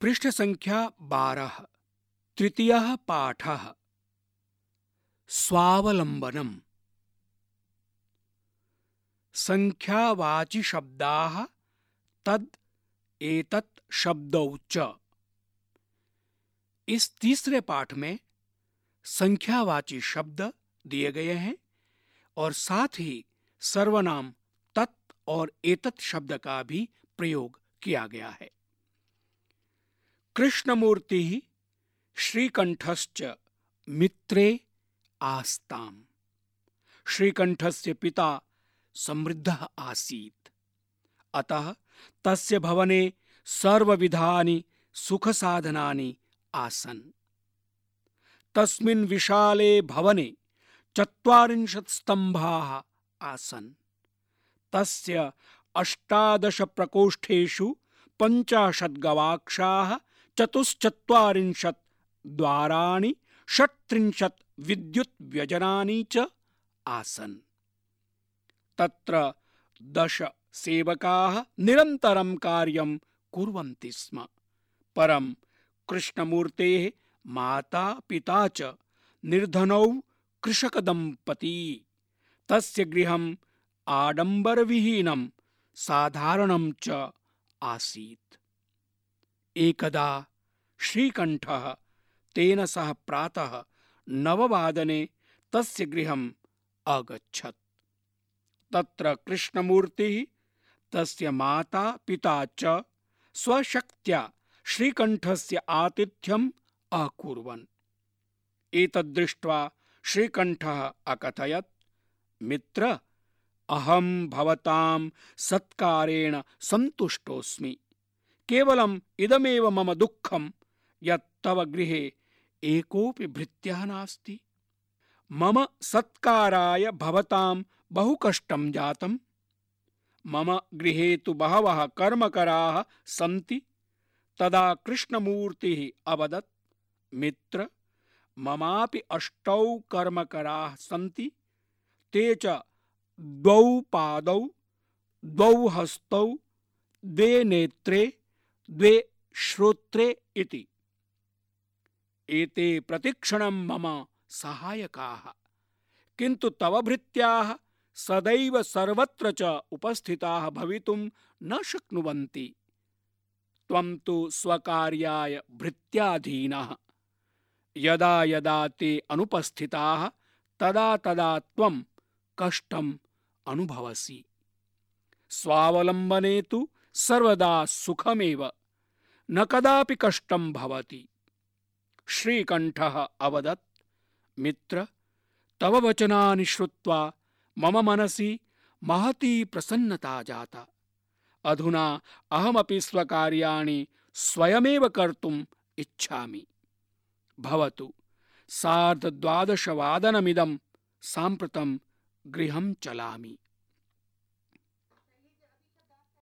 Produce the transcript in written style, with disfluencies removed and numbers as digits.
पृष्ठ संख्या 12 तृतीयः पाठः स्वावलंबनम्। संख्यावाचि शब्दाः तद एतत् शब्दौ च। इस तीसरे पाठ में संख्यावाची शब्द दिए गए हैं और साथ ही सर्वनाम तत् और एतत् शब्द का भी प्रयोग किया गया है। कृष्णमूर्ति श्रीकंठश्च मित्रे आस्ताम्। श्रीकंठस्य पिता समृद्धः आसीत्, अतः तस्य भवने सर्वविधानि सुखसाधनानि आसन्। तस्मिन् विशाले भवने 40 स्तम्भाः आसन्। तस्य 18 प्रकोष्ठेषु 50 गवाक्षाः, 44 द्वाराणि, 36 विद्युत् व्यजनानि च आसन्। तत्र 10 सेवकाः निरन्तरं कार्यं कुर्वन्ति स्म। परं कृष्णमूर्तेः माता पिता च निर्धनौ कृषकदम्पती। तस्य गृहम् आडम्बरविहीनं साधारणं च आसीत्। एकदा श्रीकंठः तेन सह प्रातः 9 वादने तस्य गृहम् अगच्छत्। तत्र कृष्णमूर्तिः तस्य माता पिता च स्वशक्त्या श्रीकंठस्य आतिथ्यम् अकुर्वन्। एतद्दृष्ट्वा श्रीकंठः अकथयत्, मित्र, अहं भवतां सत्कारेण सन्तुष्टोऽस्मि। केवलम् इदमेव मम दुःखं यत् तव गृहे एकोऽपि भृत्यः नास्ति। मम सत्काराय भवतां बहु कष्टं जातम्। मम गृहे तु बहवः कर्मकराः सन्ति। तदा कृष्णमूर्तिः अवदत्, मित्र, ममापि 8 कर्मकराः सन्ति। ते च 2 पादौ, 2 हस्तौ, 2 नेत्रे, 2 श्रोत्रे इति। एते प्रतिक्षणं मम सहायकाः, किन्तु तव भृत्याः सदैव सर्वत्र च उपस्थिताः भवितुं न शक्नुवन्ति। त्वं तु स्वकार्याय भृत्याधीनः। यदा यदा ते अनुपस्थिताः तदा तदा त्वं कष्टम् अनुभवसि। स्वावलम्बने तु सर्वदा सुखमेव, न कदापि कष्टं भवति। श्रीकंठः अवदत्, मित्र, तव वचनानि श्रुत्वा मम मनसि महती प्रसन्नता जाता। अधुना अहमपि स्वकार्याणि स्वयमेव कर्तुम् इच्छामि। भवतु, 12:30 वादनमिदं साम्प्रतं गृहं चलामि।